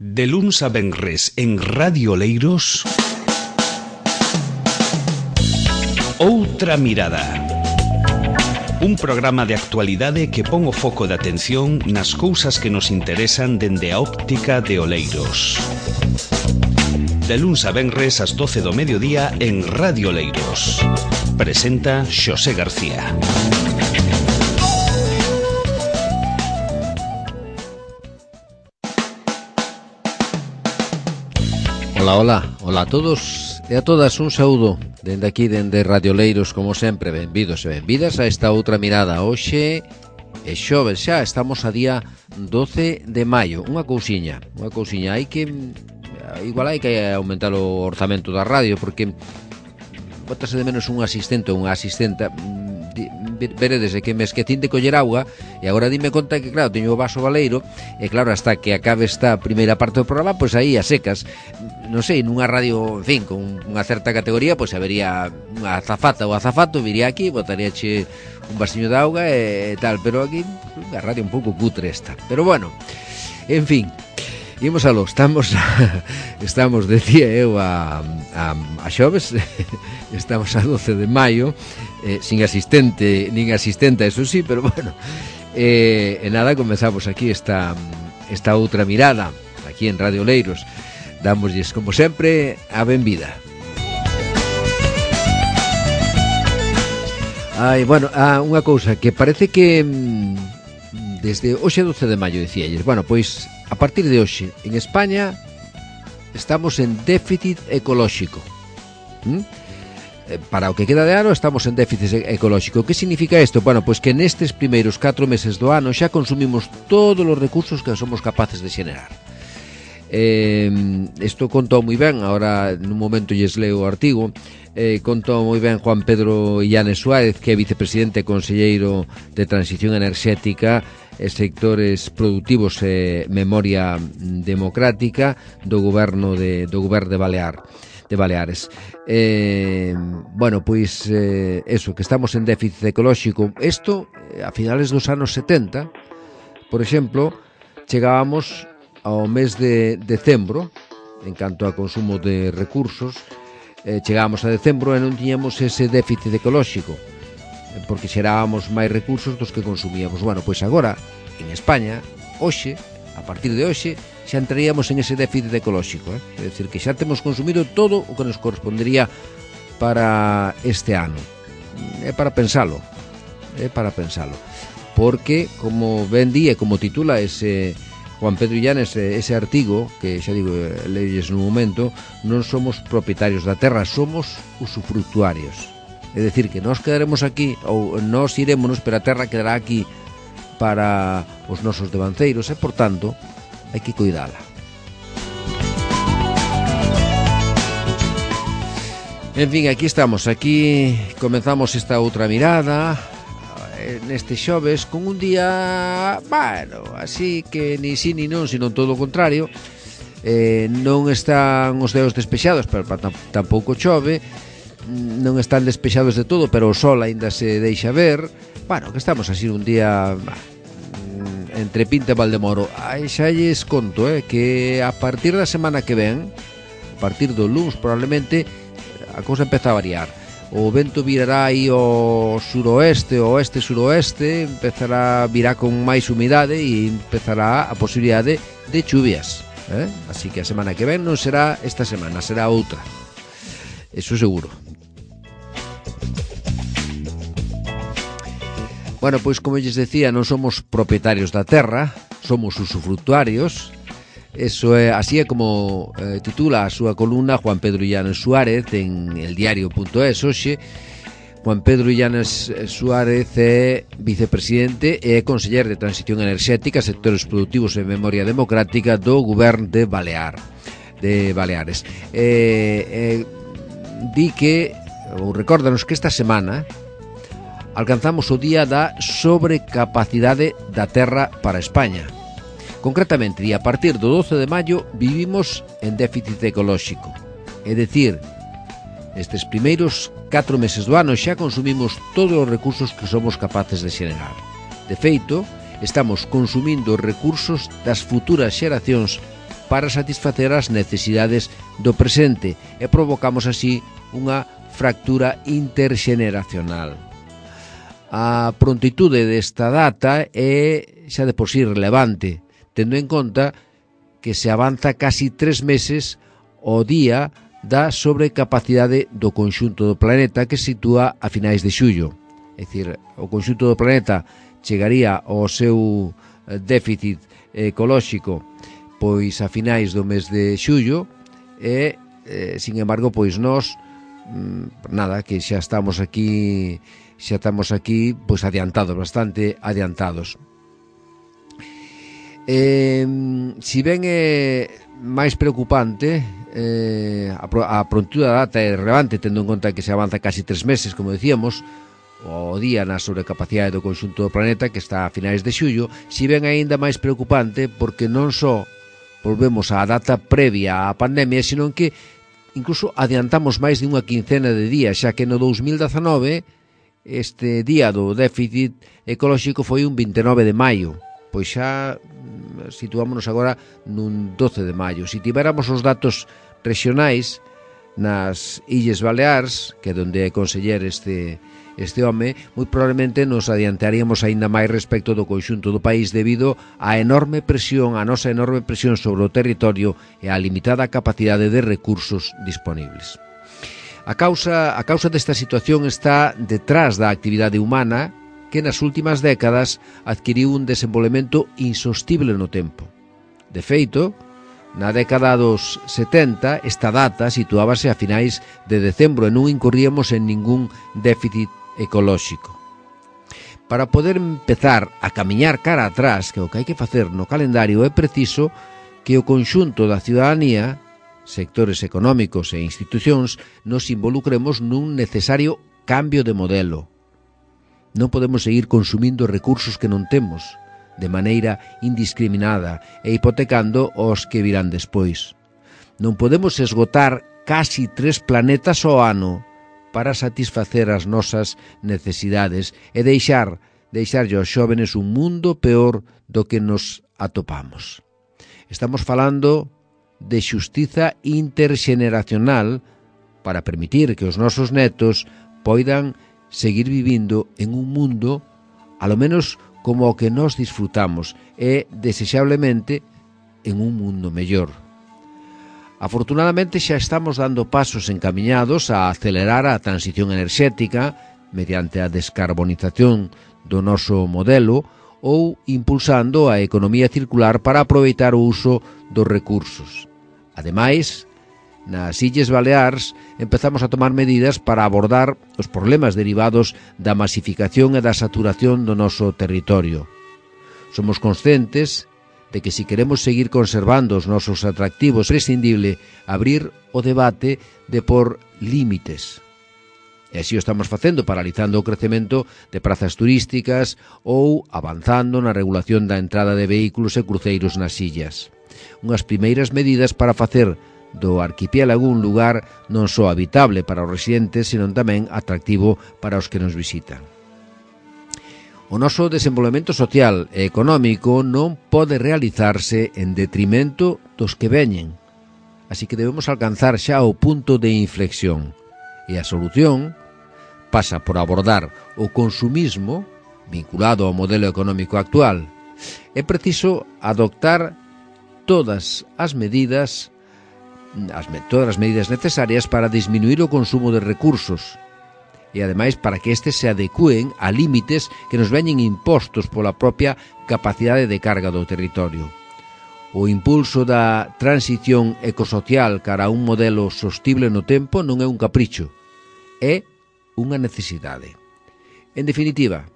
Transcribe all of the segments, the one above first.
De luns a venres en Radio Oleiros, Outra Mirada. Un programa de actualidade que pon o foco de atención nas cousas que nos interesan dende a óptica de Oleiros. De luns a venres ás 12 do mediodía en Radio Oleiros. Presenta Xosé García. Ola a todos e a todas, un saúdo dende aquí, dende Radio Oleiros, como sempre. Benvidos e benvidas a esta outra mirada. Hoxe é xoves xa, estamos a día 12 de maio. Unha cousiña, hai que aumentar o orzamento da radio, porque bótase de menos un asistente ou unha asistenta. Veredes que me esquecín de coller auga e agora dime conta que, claro, teño o vaso baleiro e, claro, hasta que acabe esta primeira parte do programa, pois aí a secas. Non sei, nunha radio, en fin, con unha certa categoría, pois habería unha azafata ou azafato, viría aquí, botaríache un vasiño de auga e tal, pero aquí unha radio un pouco cutre esta. Pero bueno, en fin, imos aló, estamos, decía eu, a xoves, estamos a 12 de maio, sin asistente, nin asistenta, eso sí, pero bueno, e nada, comenzamos aquí esta outra mirada, aquí en Radio Oleiros. Dámoslles, como sempre, a benvida. Unha cousa que parece que desde hoxe 12 de maio, dicíalles, bueno, pois a partir de hoxe en España estamos en déficit ecolóxico. Para o que queda de ano estamos en déficit ecolóxico. Que significa isto? Bueno, pois que nestes primeiros 4 meses do ano xa consumimos todos os recursos que somos capaces de xenerar. Isto contou moi ben, ahora nun momento lles leo o artigo. Contou moi ben Juan Pedro Illanes Suárez, que é vicepresidente e conselleiro de Transición Enerxética e Sectores Productivos e Memoria Democrática do Goberno de Baleares. Eso, que estamos en déficit ecolóxico. Isto, a finales dos anos 70, por exemplo, chegábamos ao mes de decembro, en canto a consumo de recursos, chegábamos a decembro e non tiñamos ese déficit ecolóxico, porque xerábamos máis recursos dos que consumíamos. Bueno, pois agora, en España, hoxe, a partir de hoxe, xa entraríamos en ese déficit ecolóxico, é dicir, que xa temos consumido todo o que nos correspondería para este ano. É para pensalo, porque, como ben di e como titula ese Juan Pedro Illanes, ese artigo, que xa digo, leilles nun momento, non somos propietarios da terra, somos usufructuarios. É dicir, que nós quedaremos aquí, ou nós irémonos, pero a terra quedará aquí para os nosos devanceiros, e, por tanto, hai que cuidala. En fin, aquí estamos, aquí comenzamos esta outra mirada neste xoves, con un día, bueno, así que ni sí ni non, sino todo o contrario. Non están os deos despexados, pero tampouco chove, non están despexados de todo, pero o sol aínda se deixa ver. Bueno, que estamos así un día entre Pinta e Valdemoro. Xa lles conto, que a partir da semana que ven, a partir do luns probablemente, a cousa empeza a variar. O vento virará aí ao suroeste, ao oeste-suroeste, virá con máis humidade e empezará a posibilidade de chuvias. Así que a semana que ven non será esta semana, será outra. Eso seguro. Bueno, pois como lles decía, non somos propietarios da terra, somos usufructuarios. Eso é, así é como titula a súa columna Juan Pedro Illanes Suárez en eldiario.es. Hoxe, Juan Pedro Illanes Suárez é vicepresidente e conseller de Transición Enerxética, Sectores Productivos e Memoria Democrática do Goberno de Baleares. Di que, ou recórdanos que esta semana alcanzamos o día da sobrecapacidade da terra para España. Concretamente, a partir do 12 de maio vivimos en déficit ecolóxico. É dicir, estes primeiros 4 meses do ano xa consumimos todos os recursos que somos capaces de xenerar. De feito, estamos consumindo recursos das futuras xeracións para satisfacer as necesidades do presente e provocamos así unha fractura interxeneracional. A prontitude desta data é xa de por sí relevante, tendo en conta que se avanza casi 3 meses ao día da sobrecapacidade do conxunto do planeta que se sitúa a finais de xullo. É dicir, o conxunto do planeta chegaría ao seu déficit ecolóxico pois a finais do mes de xullo e, sin embargo, pois nós nada, que xa estamos aquí pois adiantados, bastante adiantados. Si ben é máis preocupante, a prontude da data é relevante, tendo en conta que se avanza casi 3 meses, como decíamos, o día na sobrecapacidade do conxunto do planeta, que está a finais de xullo, si ben aínda máis preocupante porque non só volvemos á data previa á pandemia, sino que incluso adiantamos máis de unha quincena de días, xa que no 2019 este día do déficit ecolóxico foi un 29 de maio, pois xa situámonos agora nun 12 de maio. Se tivéramos os datos regionais nas Illes Baleares, que é onde é conseller este home, moi probablemente nos adiantaríamos aínda máis respecto do conxunto do país debido á enorme presión, a nosa enorme presión sobre o territorio e á limitada capacidade de recursos disponibles. A causa desta situación está detrás da actividade humana que nas últimas décadas adquiriu un desenvolvemento insostible no tempo. De feito, na década dos 70, esta data situábase a finais de decembro e non incorríamos en ningún déficit ecolóxico. Para poder empezar a camiñar cara atrás, que é o que hai que facer no calendario, é preciso que o conxunto da ciudadanía, sectores económicos e institucións, nos involucremos nun necesario cambio de modelo. Non podemos seguir consumindo recursos que non temos, de maneira indiscriminada e hipotecando os que virán despois. Non podemos esgotar casi 3 planetas ao ano para satisfacer as nosas necesidades e deixarlle aos xóvenes un mundo peor do que nos atopamos. Estamos falando de xustiza interxeneracional para permitir que os nosos netos poidan seguir vivindo en un mundo alo menos como o que nós disfrutamos e, desexablemente, en un mundo mellor. Afortunadamente xa estamos dando pasos encamiñados a acelerar a transición enerxética mediante a descarbonización do noso modelo ou impulsando a economía circular para aproveitar o uso dos recursos. Ademais, nas Illes Baleares empezamos a tomar medidas para abordar os problemas derivados da masificación e da saturación do noso territorio. Somos conscientes de que se queremos seguir conservando os nosos atractivos é prescindible abrir o debate de por límites. E así o estamos facendo, paralizando o crecemento de prazas turísticas ou avanzando na regulación da entrada de vehículos e cruceiros nas illas. Unhas primeiras medidas para facer do arquipiélago un lugar non só habitable para os residentes, senón tamén atractivo para os que nos visitan. O noso desenvolvemento social e económico non pode realizarse en detrimento dos que veñen, así que debemos alcanzar xa o punto de inflexión, e a solución pasa por abordar o consumismo vinculado ao modelo económico actual. É preciso adoptar todas as medidas necesarias para disminuir o consumo de recursos, e ademais para que estes se adecúen a límites que nos veñen impostos pola propia capacidade de carga do territorio. O impulso da transición ecosocial cara a un modelo sostible no tempo non é un capricho, é unha necesidade. En definitiva,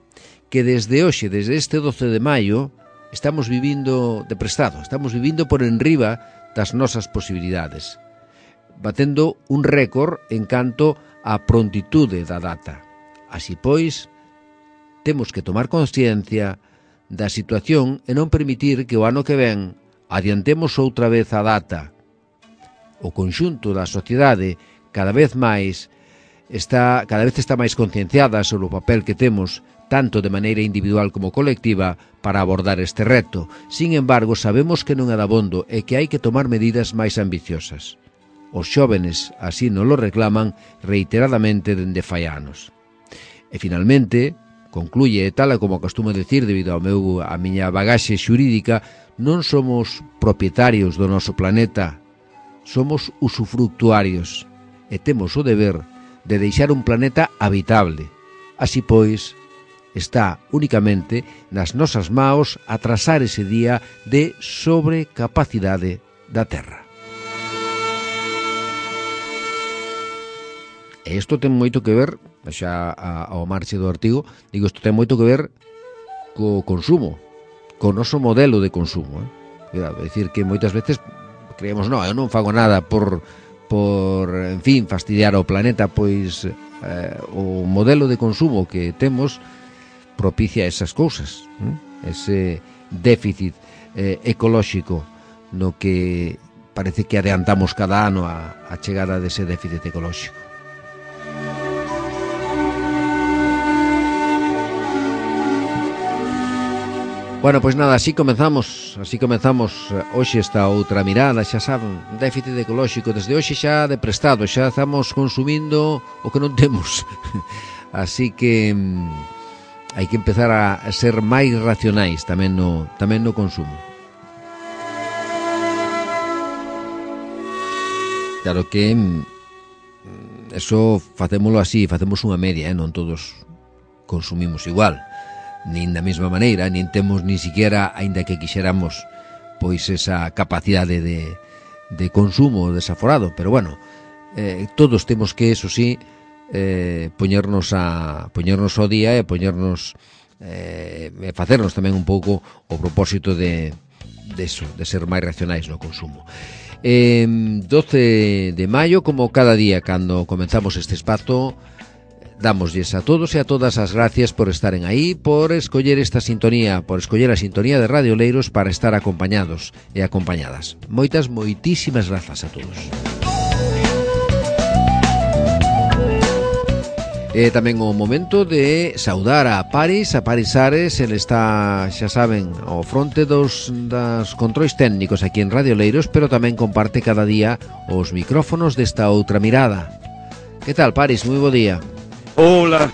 que desde hoxe, desde este 12 de maio, estamos vivindo de prestado, estamos vivindo por enriba das nosas posibilidades, batendo un récord en canto a prontitude da data. Así pois, temos que tomar consciencia da situación e non permitir que o ano que ven adiantemos outra vez a data. O conxunto da sociedade cada vez está máis concienciada sobre o papel que temos tanto de maneira individual como colectiva, para abordar este reto. Sin embargo, sabemos que non é dabondo e que hai que tomar medidas máis ambiciosas. Os xóvenes así non lo reclaman reiteradamente dende fai anos. E finalmente, concluye, tal como acostumo decir debido a miña bagaxe xurídica, non somos propietarios do noso planeta, somos usufructuarios e temos o deber de deixar un planeta habitable. Así pois, está únicamente nas nosas maos atrasar ese día de sobrecapacidade da Terra. E isto ten moito que ver, xa ao marche do artigo, digo, isto ten moito que ver co consumo, co noso modelo de consumo. É dicir, que moitas veces creemos, non, eu non fago nada por en fin, fastidiar ao planeta, pois o modelo de consumo que temos propicia esas cousas, ese déficit ecolóxico no que parece que adiantamos cada ano a chegada dese déficit ecolóxico. Bueno, pois nada, así comenzamos hoxe esta outra mirada, xa saben, déficit ecolóxico, desde hoxe xa de prestado, xa estamos consumindo o que non temos, así que hai que empezar a ser máis racionais tamén no consumo. Claro que eso facémolo así, facemos unha media, non todos consumimos igual, nin da mesma maneira, nin temos ni siquiera, aínda que quixéramos, pois esa capacidade de consumo desaforado, pero bueno, todos temos que, eso sí, poñernos ao día e poñernos facernos tamén un pouco o propósito de ser máis racionais no consumo. 12 de maio, como cada día cando comenzamos este espazo, dámoslles a todos e a todas as gracias por estaren aí, por escoller esta sintonía, por escoller a sintonía de Radio Oleiros para estar acompañados e acompañadas. Moitísimas grazas a todos. É tamén o momento de saudar a Paris Ares, ele está, xa saben, ao fronte das controis técnicos aquí en Radio Oleiros, pero tamén comparte cada día os micrófonos desta outra mirada. Que tal, Paris? Moi bo día. Hola,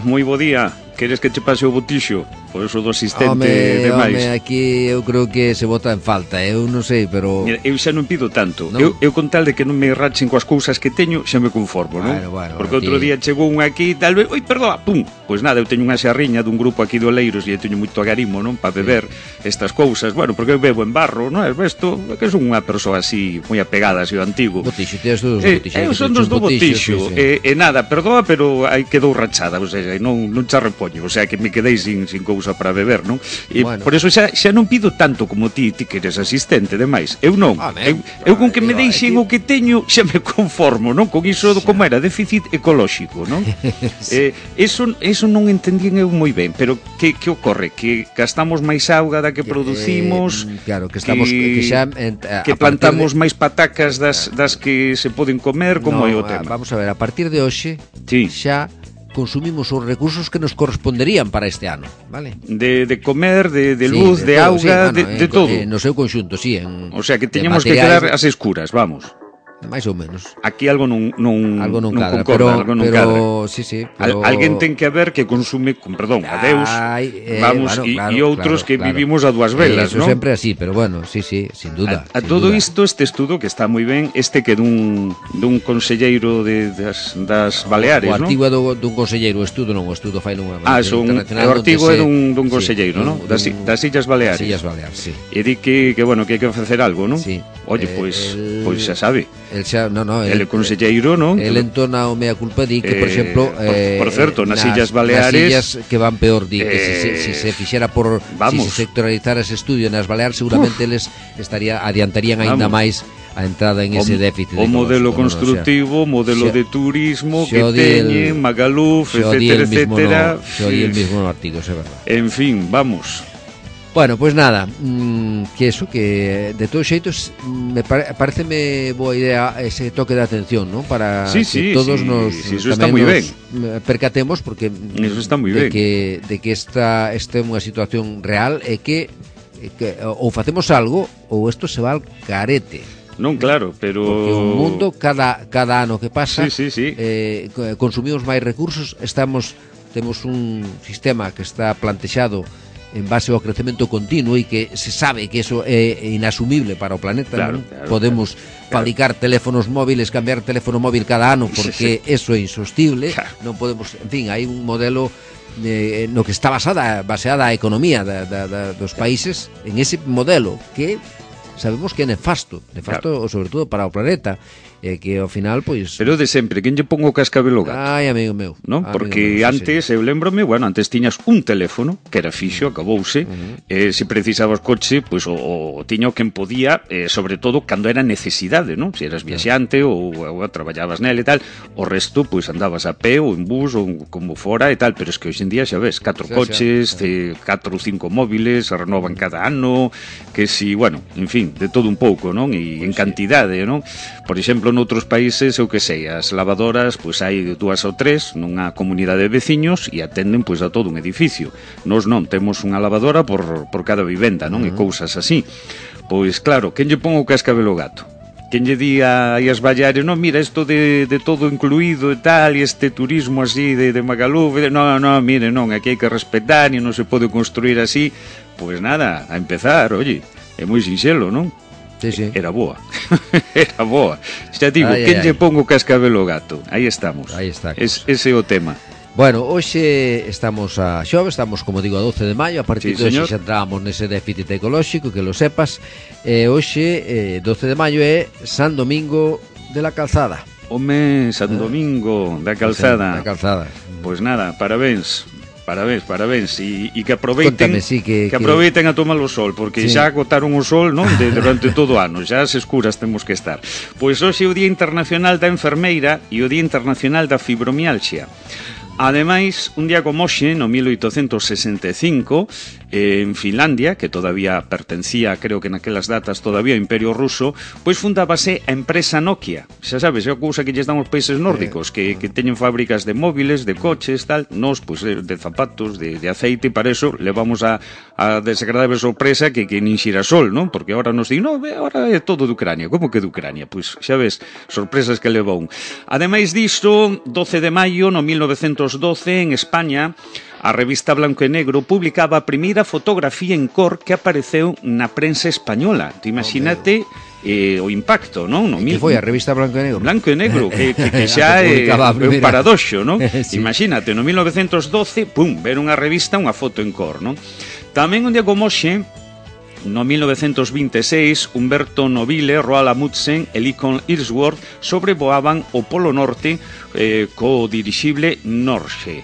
moi bo día. Queres que che pase o botixo? Por eso do asistente de máis. Aquí eu creo que se bota en falta, eu non sei, pero... Mira, eu xa non pido tanto, ¿no? eu con tal de que non me rachen coas cousas que teño, xa me conformo, non? Bueno, porque outro día chegou un aquí, tal vez, oi, perdoa, pum, pois nada, eu teño unha xarriña dun grupo aquí do Oleiros e eu teño moito agarimo, non, para beber estas cousas, bueno, porque eu bebo en barro, non, é isto, que son unha persoa así, moi apegada, así, o antigo. Botixo, tens dos botixos. Eu son dos do botixo, e nada, perdoa, pero aí quedou rachada, ou sea, non xa repoño, o sea, que me quedei sin cousa para beber, non? E bueno, por eso xa non pido tanto como ti que eres asistente, demais. Eu non. Eu con que me deixen o que teño xa me conformo, non? Con iso como era déficit ecolóxico, non? Eso non entendín eu moi ben, pero que ocorre? Que gastamos máis auga da que producimos, claro, que estamos que plantamos máis patacas das que se poden comer, como é o tema. Vamos a ver, a partir de hoxe xa consumimos os recursos que nos corresponderían para este ano, vale? De comer, de luz, de auga, de todo. No seu conxunto, sí. O sea, que teñamos que quedar as escuras, vamos. máis ou menos. Aquí algo non cadra, concorda, algo non cadra. Sí, pero... Alguén ten que haber que consume, con perdón, a Deus, vamos, e outros que vivimos a dúas velas, ¿no? Eso sempre así, pero bueno, sí, sin duda. A todo isto, este estudo que está moi ben, que dun conselleiro das Baleares, ¿no? O artigo é dun conselleiro, o estudo fai nunha... o artigo é dun conselleiro, ¿no? Das Illas Baleares. Das Illas Baleares, sí. E di que bueno, que hai que facer algo, ¿no? Sí. Oye, pois xa sabe. El é conselleiro, non? El entona o mea culpa, di que, por exemplo, por certo, nas Illas Baleares, nas illas que van peor, di que si se fixera si se sectoralizara ese estudio nas Baleares, seguramente eles adiantarían aínda máis a entrada en ese déficit. O modelo constructivo, modelo de turismo que teñen, Magaluf, etcétera. Xo di el mismo no artigo, é verdad. En fin, vamos. Bueno, pois nada, que eso, que de todos xeitos pareceme boa idea ese toque de atención, ¿no? Para que todos nos eso está moi ben. Percatemos, porque eso está moi ben. De que esta é unha situación real e que ou facemos algo ou isto se va al carete. Non, claro, pero... Porque o mundo, cada ano que pasa, consumimos máis recursos, temos un sistema que está plantexado en base ao crecemento continuo e que se sabe que eso é inasumible para o planeta. Claro, podemos fabricar teléfonos móviles, cambiar teléfono móvil cada ano, porque eso é insostible. Non podemos, en fin, hai un modelo no que está baseada a economía dos países en ese modelo que sabemos que é nefasto, sobre todo para o planeta. Que ao final, pois... Pero de sempre, quen lle pon o cascabel ao gato? Ai, amigo meu. Non? Porque antes, eu lembrome, antes tiñas un teléfono, que era fixo, acabouse, se precisabas coche, pois o tiño quen podía, sobre todo, cando era necesidade, non? Se eras viaxante ou traballabas nele e tal, o resto, pois andabas a pé ou en bus ou como fora e tal, pero es que hoxe en día xa ves, 4 coches, 4 ou 5 móviles, se renovan cada ano, que si, en fin, de todo un pouco, non? E en cantidade, non? Por exemplo, noutros países, eu que sei, as lavadoras, pois hai 2 ou 3 nunha comunidade de veciños e atenden pois a todo un edificio. Nós non, temos unha lavadora por cada vivenda, non? E cousas así. Pois claro, quen lle pon o cascabel ao gato? Quen lle di aí as ballares, non, mira, isto de todo incluído e tal, e este turismo así de Magaluf, non, mire, non, aquí hai que respetar e non se pode construir así. Pois nada, a empezar, oye, é moi sinxelo, non? Sí. Era boa. Era boa. Xa digo, quen lle pon o cascabel ao gato? Aí estamos. Aí está. Ese é o tema. Bueno, hoxe estamos a xove, estamos, como digo, a 12 de maio. A partir de hoxe xa entramos nese déficit ecolóxico, que lo sepas. Hoxe, 12 de maio, é San Domingo de la Calzada. Home, San Domingo da Calzada. Da Calzada. Pois nada, parabéns, e que aproveiten. Contame, sí, que aproveiten a tomar o sol, porque xa agotaron o sol, non, durante todo o ano, xa as escuras temos que estar. Pois hoxe é o Día Internacional da Enfermeira e o Día Internacional da Fibromialgia. Ademais, un día como hoxe, no 1865, en Finlandia, que todavía pertencía, creo que naquelas datas todavía ao Imperio Ruso, pois fundábase a empresa Nokia. Xa sabes, é a cousa que lles dan os países nórdicos, que teñen fábricas de móviles, de coches, tal. Nos, pois, de zapatos, de aceite, e para eso levamos a desagradable sorpresa que nin xirasol, non? Porque agora nos di, non, agora é todo de Ucrania. Como que de Ucrania? Pois, xa ves, sorpresas que leva un. Ademais disto, 12 de maio, no 1912, en España, a revista Blanco e Negro publicaba a primeira fotografía en cor que apareceu na prensa española. Te imagínate o impacto, non? Que foi a revista Blanco e Negro? Blanco e Negro, que xa é un paradoxo, non? Sí. Imagínate, no 1912, ver unha revista, unha foto en cor, non? Tamén un día como hoxe, no 1926, Humberto Nobile, Roald Amundsen e Lincoln Ellsworth sobrevoaban o Polo Norte co dirixible Norge.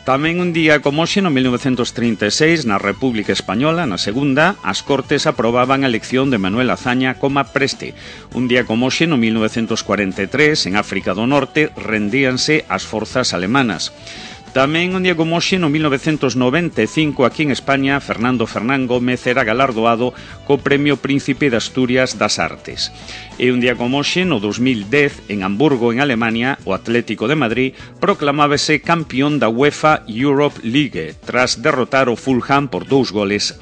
Tamén un día como hoxe, no 1936, na República Española, na segunda, as Cortes aprobaban a elección de Manuel Azaña como preste. Un día como hoxe, no 1943, en África do Norte, rendíanse as forzas alemanas. Tamén un día como hoxe, no 1995, aquí en España, Fernando Fernán Gómez era galardoado co Premio Príncipe de Asturias das Artes. E un día como hoxe, no 2010, en Hamburgo, en Alemania, o Atlético de Madrid proclamábase campeón da UEFA Europe League, tras derrotar o Fulham por 2-1.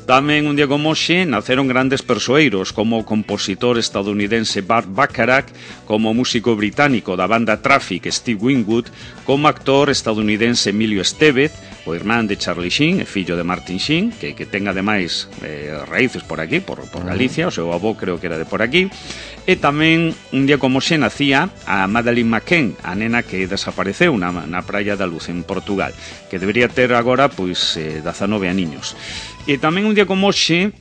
Tamén un día como hoxe naceron grandes persoeiros como o compositor estadounidense Burt Bacharach, como o músico británico da banda Traffic Steve Winwood, como actor estadounidense Emilio Estevez, o irmán de Charlie Sheen e fillo de Martin Sheen, que ten ademais raíces por aquí, por Galicia, o seu avó creo que era de por aquí. E tamén un día como hoxe nacía a Madeleine McCann, a nena que desapareceu na Praia da Luz en Portugal, que debería ter agora pois 19 aniños. E tamén un día como hoxe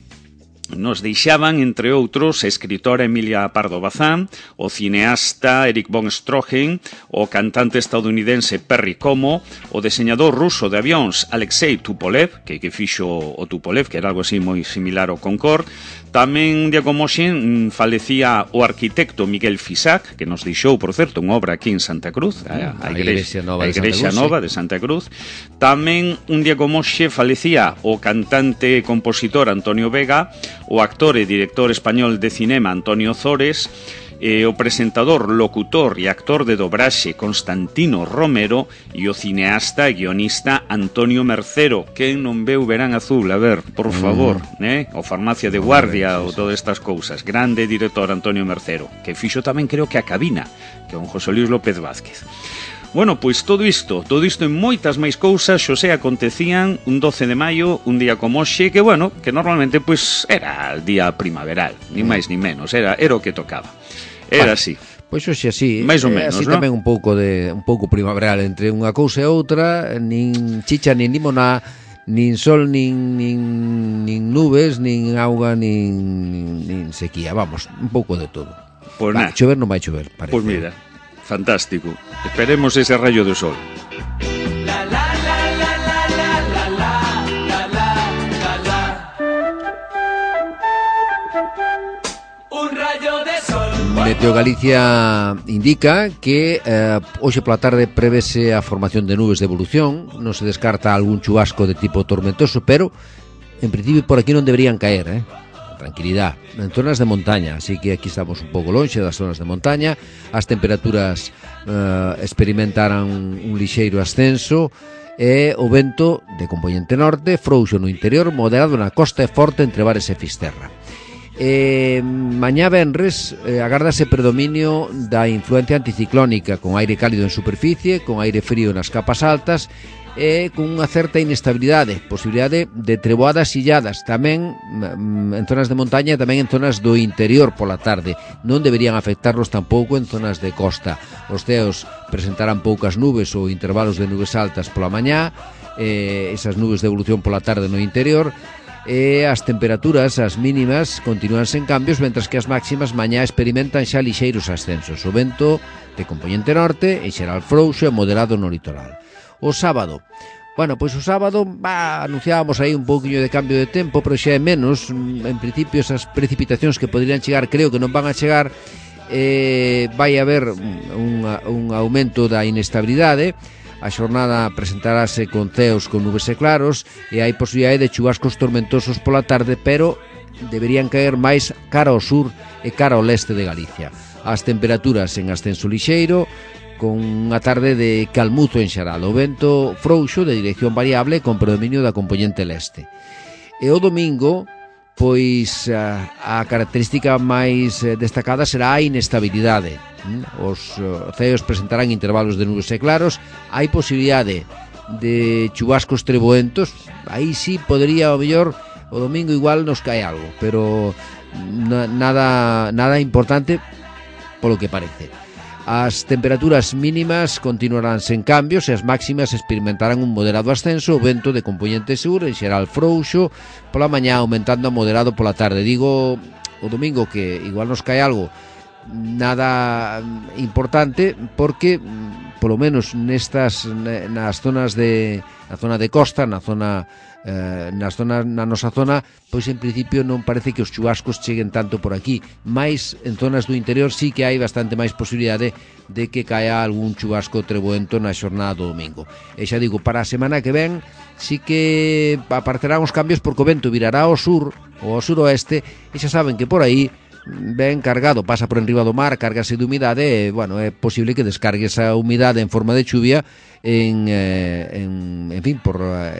nos deixaban, entre outros, a escritora Emilia Pardo Bazán, o cineasta Erich von Stroheim, o cantante estadounidense Perry Como, o deseñador ruso de avións Alexei Tupolev, que fixo o Tupolev, que era algo así moi similar ao Concorde. Tamén, día como hoxe, falecía o arquitecto Miguel Fisac, que nos deixou, por certo, unha obra aquí en Santa Cruz, a Igrexa Nova de Santa Cruz. Tamén, un día como hoxe, falecía o cantante e compositor Antonio Vega, o actor e director español de cinema Antonio Zores, o presentador, locutor e actor de dobraxe Constantino Romero e o cineasta e guionista Antonio Mercero. Quen non veu Verán Azul? A ver, por favor, o Farmacia de Guardia ou todas estas cousas. Grande director Antonio Mercero, que fixo tamén creo que A Cabina, que é un José Luis López Vázquez. Bueno, pois todo isto e moitas máis cousas, Xosé, acontecían un 12 de maio, un día como hoxe, que bueno, que normalmente pois era el día primaveral, ni máis ni menos, era o que tocaba. Era así. Pois hoxe así, máis ou menos, así non? Tamén un pouco primaveral entre unha cousa e outra, nin chicha nin limoná, nin sol nin nubes, nin auga nin sequía, vamos, un pouco de todo. Pois nada. Chover non vai chover, parece. Pois mira, fantástico. Esperemos ese rayo de sol. Meteo Galicia indica que hoxe pola tarde prevese a formación de nubes de evolución, non se descarta algún chubasco de tipo tormentoso, pero en principio por aquí non deberían caer, tranquilidade, en zonas de montaña, así que aquí estamos un pouco lonxe das zonas de montaña, as temperaturas experimentarán un lixeiro ascenso e o vento de componente norte, frouxo no interior, moderado na costa e forte entre Bares e Fisterra. Mañá venres agárdase predominio da influencia anticiclónica, con aire cálido en superficie, con aire frío nas capas altas e con unha certa inestabilidade, posibilidade de treboadas illadas tamén en zonas de montaña e tamén en zonas do interior pola tarde. Non deberían afectarnos tampouco en zonas de costa. Os ceos presentarán poucas nubes ou intervalos de nubes altas pola mañá, esas nubes de evolución pola tarde no interior, e as temperaturas, as mínimas, continúan sen cambios, mentras que as máximas mañá experimentan xa lixeiros ascensos. O vento de componente norte, en xeral frouxo e moderado no litoral. O sábado, bueno, pois o sábado anunciábamos aí un pouquiño de cambio de tempo, pero xa é menos. En principio esas precipitacións que poderían chegar creo que non van a chegar. Vai haber un aumento da inestabilidade. A xornada presentarase con ceos con nubes e claros e hai posibilidade de chubascos tormentosos pola tarde, pero deberían caer máis cara ao sur e cara ao leste de Galicia. As temperaturas en ascenso lixeiro, con unha tarde de calmuzo en xeral, o vento frouxo de dirección variable con predominio da componente leste. E o domingo, pois a característica máis destacada será a inestabilidade. Os ceos presentarán intervalos de nubes e claros, hai posibilidade de chubascos treboentos, aí sí podría, ao mellor, o domingo igual nos cae algo, pero nada importante polo que parece. As temperaturas mínimas continuarán sen cambios e as máximas experimentarán un moderado ascenso, o vento de componente sur, en xeral frouxo, pola mañá aumentando a moderado pola tarde. Digo o domingo que igual nos cae algo, nada importante, porque polo menos nas zonas na zona de costa, na nosa zona, pois en principio non parece que os chubascos cheguen tanto por aquí, mais en zonas do interior sí que hai bastante máis posibilidade de que caia algún chubasco treboento na xornada do domingo. E xa digo, para a semana que ven sí que aparecerán os cambios, porque o vento virará ao sur ou ao suroeste, e xa saben que por aí ben cargado, pasa por enriba do mar, cárgase de humidade e, bueno, é posible que descargue esa humidade en forma de chuvia en fin,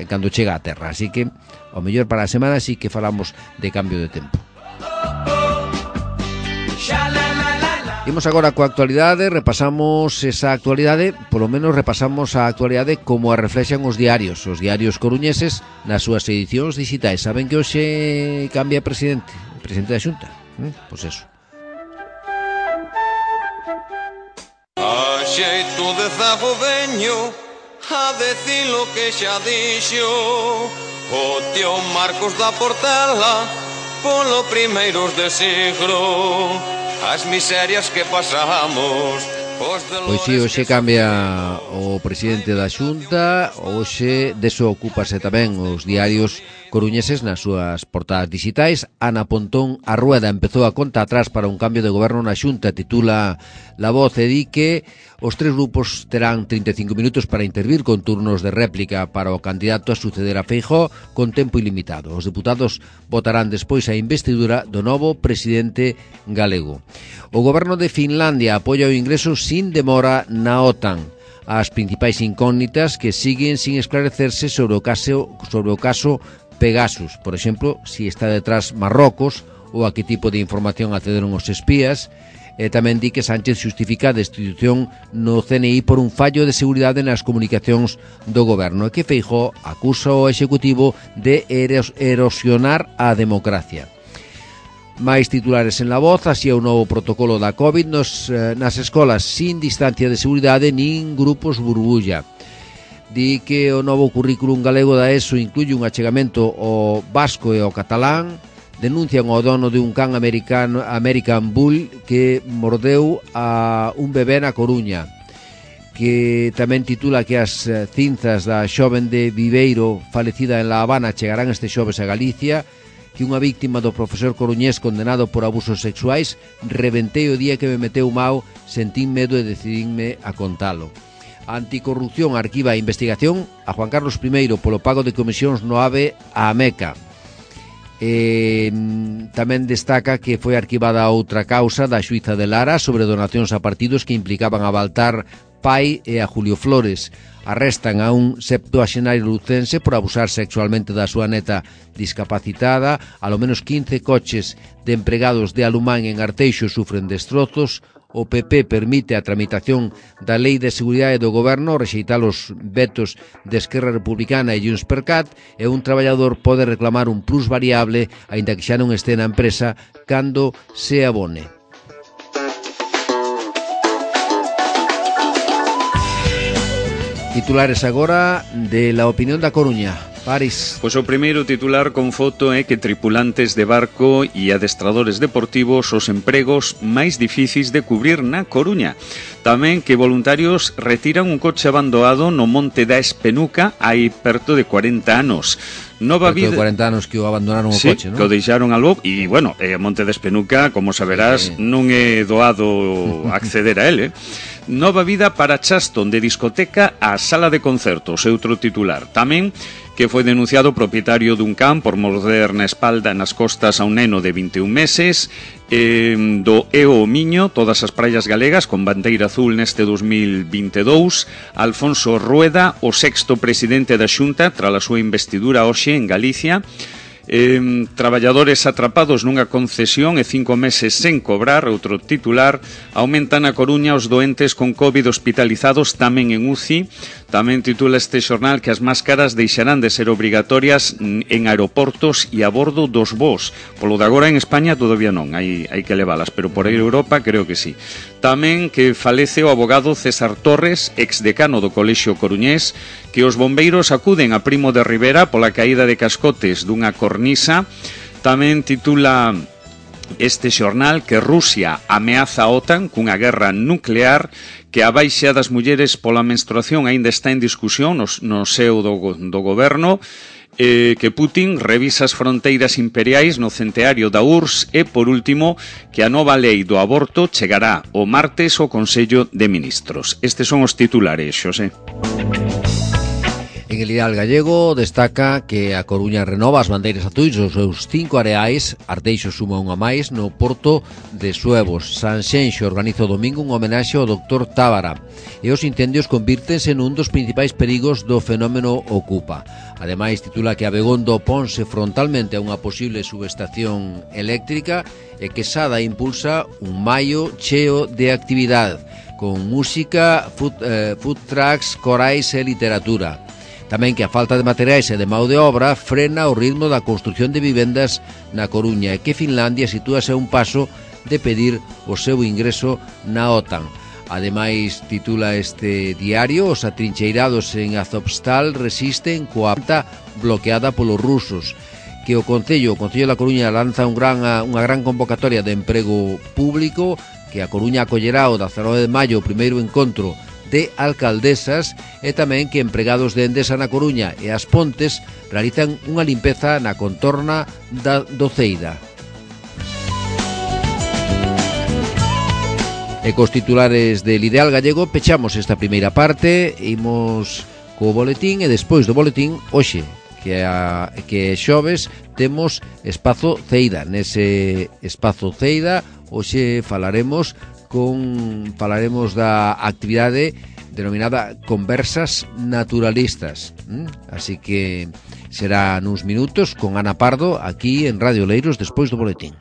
cando chega a terra. Así que, ao mellor para a semana sí que falamos de cambio de tempo. Imos agora coa actualidade, repasamos esa actualidade, polo menos repasamos a actualidade como a reflexan os diarios coruñeses nas súas edicións digitais. Saben que hoxe cambia presidente da Xunta? Pois eso. A xeito de zagodeño, a decir lo que xa dixo o tío Marcos da Portela, polo primeiros de siglo, as miserias que pasamos. Pois si, hoxe cambia o presidente da Xunta, hoxe deso ocúpase tamén os diarios coruñeses nas súas portadas digitais. Ana Pontón a Rueda empezou a conta atrás para un cambio de goberno na Xunta, titula La Voz, e di que os tres grupos terán 35 minutos para intervir con turnos de réplica para o candidato a suceder a Feijóo con tempo ilimitado. Os deputados votarán despois a investidura do novo presidente galego. O goberno de Finlandia apoia o ingreso sin demora na OTAN. As principais incógnitas que siguen sin esclarecerse sobre o caso Pegasus, por exemplo, si está detrás Marrocos ou a que tipo de información accederon os espías. Tamén di que Sánchez xustifica a destitución no CNI por un fallo de seguridade nas comunicacións do goberno e que Feijóo acusa o Executivo de erosionar a democracia. Máis titulares en La Voz, así é o novo protocolo da COVID nas escolas sin distancia de seguridade nin grupos burbulla. Di que o novo currículum galego da ESO incluye un achegamento ao vasco e ao catalán. Denuncian o dono de un can American Bull que mordeu a un bebé na Coruña, que tamén titula que as cinzas da xoven de Viveiro falecida en La Habana chegarán este xoves a Galicia, que unha víctima do profesor coruñés condenado por abusos sexuais: reventei o día que me meteu mau, sentín medo e decidínme a contalo. A Anticorrupción arquiva a investigación a Juan Carlos I polo pago de comisións no AVE a Meca. Tamén destaca que foi arquivada outra causa da xuíza de Lara sobre donacións a partidos que implicaban a Baltar Pai e a Julio Flores. Arrestan a un septuaxenario lucense por abusar sexualmente da súa neta discapacitada. Alo menos 15 coches de empregados de Alumán en Arteixo sufren destrozos. O PP permite a tramitación da Lei de Seguridade do Goberno, rexeitar os vetos de Esquerra Republicana e Juntspercat, e un traballador pode reclamar un plus variable, aínda que xa non este na empresa, cando se abone. Titulares agora de La Opinión da Coruña. París. Pois o primeiro titular con foto é que tripulantes de barco e adestradores deportivos os empregos máis difíceis de cubrir na Coruña. Tamén que voluntarios retiran un coche abandonado no Monte da Espenuca hai perto de 40 anos. Nova vida... 40 anos que o abandonaron o coche, non? Sí, que o deixaron algo. E, bueno, Monte da Espenuca, como saberás, non é doado acceder a ele. Nova vida para Chaston, de discoteca a sala de concertos, é outro titular. Tamén que foi denunciado o propietario dun can por morder na espalda nas costas a un neno de 21 meses. Do Eo o Miño, todas as praias galegas con bandeira azul neste 2022. Alfonso Rueda, o sexto presidente da Xunta tras a súa investidura hoxe en Galicia. Traballadores atrapados nunha concesión e 5 meses sen cobrar, outro titular. Aumentan a Coruña os doentes con COVID hospitalizados tamén en UCI. Tamén titula este xornal que as máscaras deixarán de ser obrigatorias en aeroportos e a bordo dos voos. Polo de agora en España todavía non, hai que leválas, pero por aí Europa creo que sí. Tamén que falece o abogado César Torres, exdecano do Colexio Coruñés, que os bombeiros acuden a Primo de Rivera pola caída de cascotes dunha cornisa. Tamén titula este xornal que Rusia ameaza a OTAN cunha guerra nuclear, que a baixa das mulleres pola menstruación aínda está en discusión no seo do goberno, que Putin revisa as fronteiras imperiais no centenario da URSS e, por último, que a nova lei do aborto chegará o martes ao Consello de Ministros. Estes son os titulares, Xosé. En el Ideal Gallego destaca que a Coruña renova as bandeiras azuis dos seus 5 areais. Arteixo suma unha máis no Porto de Suevos. Sanxenxo organiza o domingo un homenaxe ao Dr. Tábara e os incendios convírtense nun dos principais perigos do fenómeno Ocupa. Ademais, titula que Abegondo ponse frontalmente a unha posible subestación eléctrica e que Sada impulsa un maio cheo de actividade con música, food trucks, corais e literatura. Tamén que a falta de materiais e de mão de obra frena o ritmo da construción de vivendas na Coruña e que Finlandia sitúase a un paso de pedir o seu ingreso na OTAN. Ademais, titula este diario, os atrincheirados en Azovstal resisten coa planta bloqueada polos rusos. que o Concello da Coruña lanza unha gran convocatoria de emprego público, que a Coruña acollerá o 19 de maio o primeiro encontro de alcaldesas, e tamén que empregados de Endesa na Coruña e as Pontes realizan unha limpeza na contorna da Doceira. E cos titulares del Ideal Gallego pechamos esta primeira parte, imos co boletín, e despois do boletín, hoxe, que é xoves, temos Espazo Ceida. Nese Espazo Ceida hoxe falaremos da actividade denominada Conversas Naturalistas. Así que será nuns minutos con Ana Pardo aquí en Radio Oleiros despois do boletín.